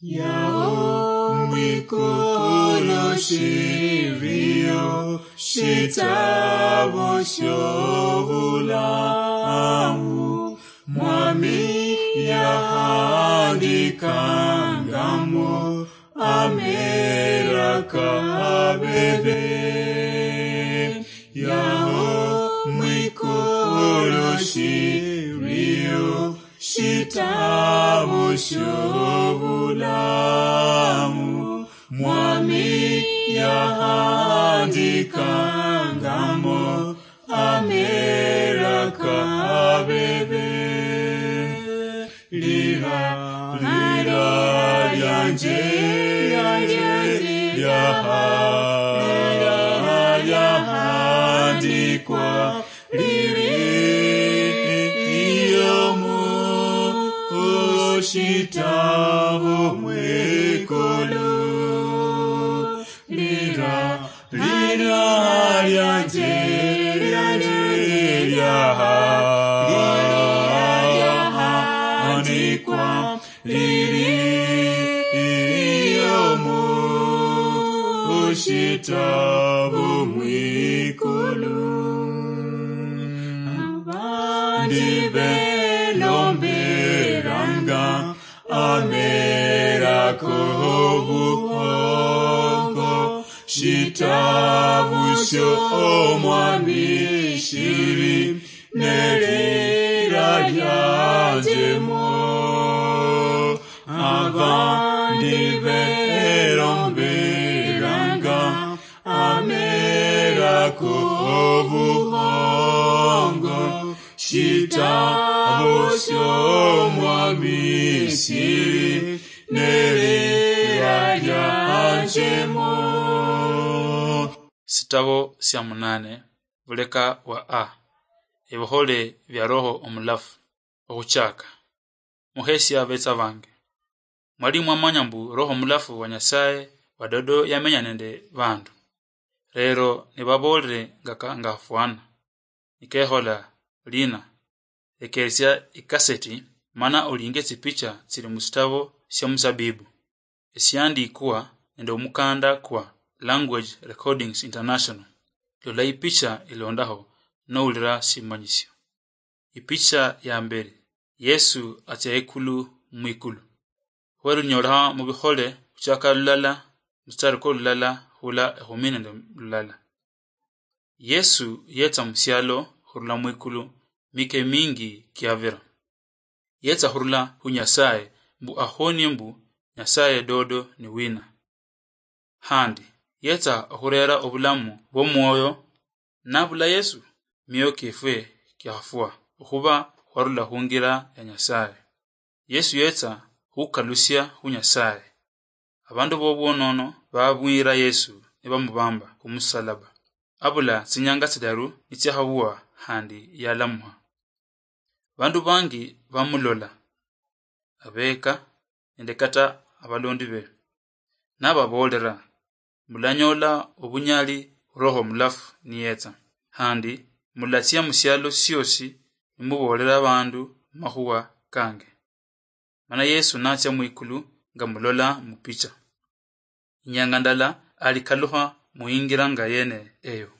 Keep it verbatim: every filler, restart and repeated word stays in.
Yaho mwikulu shiriyo shitabo shobulamu, Mwami yahandikangamo amera kabebe. Yaho mwikulu shiriyo shitabo shobulamu, Mwami yahandikangamo amera kabebe. Lira, lira lyanje, lyanje, lyaha, lyahandikwa, liri iyo mu shitabo mwikulu. Lira, lira lyanje, lyanje, lyaha, lyahandikwa, liri iyo mu shitabo mwikulu. Abandi belomberanga amera kobuhongo, shitabu syo Omwami shiri nelira lyanjemo. Abandi beromberanga amera kobuhongo, shitabu syo Omwami shiri nelira lyanjemo. Sitabo sya munane, buleka wa A. Ebihole bya Roho Omulafu. Okhuchaka. Muhesia betsa bange. Mwali mwamanya mbu Roho Omulafu wa Nyasaye wa dodo yamenya nende bandu. Lero nibaboolere nga ka-, ngafwana. Nikehola lina. Lekesia ikaseti, mana olinge tsipicha tsili musitabo sya musabibu. Esiandikwa nende omukanda kwa Language Recordings International. Lola ipicha ilondaho, noulira simanyisio. Ipicha ya mberi, Yesu atsia ikulu mwikulu. Khwerunyoleha mu Bihole khuchaka lulala, mustari kwa lulala, hula ekhumi nende lulala. Yesu yetsa musialo khurula mwikulu mike mingi kiavira. Yetsa khurula khu Nyasaye mbu ahonie mbu Nyasaye dodo ni wina. Handi yetsa okhurera obulamu bw'omwoyo. Nabula Yesu, mioyo kiefwe kiakhafwa okhuba khwarula khungira ya Nyasaye. Yesu yetsa khukalusia khu Nyasaye. Abandu bobwonono babwira Yesu nibamubamba khumusalaba. Abula tsinyanga tsidaru nitsiakhabua khandi yalamuha. Bandu bangi bamulola, abeka nende kata abalondi be. Nababoolera, "Mulanyola obunyali Roho Mulafu niyetsa, khandi mulatsia musialo siosi nimuboolera abandu amakhuwa kange." Mana Yesu natsia mwikulu nga mulola mupicha. Inyanga ndala alikalukha muingira nga yene eyo.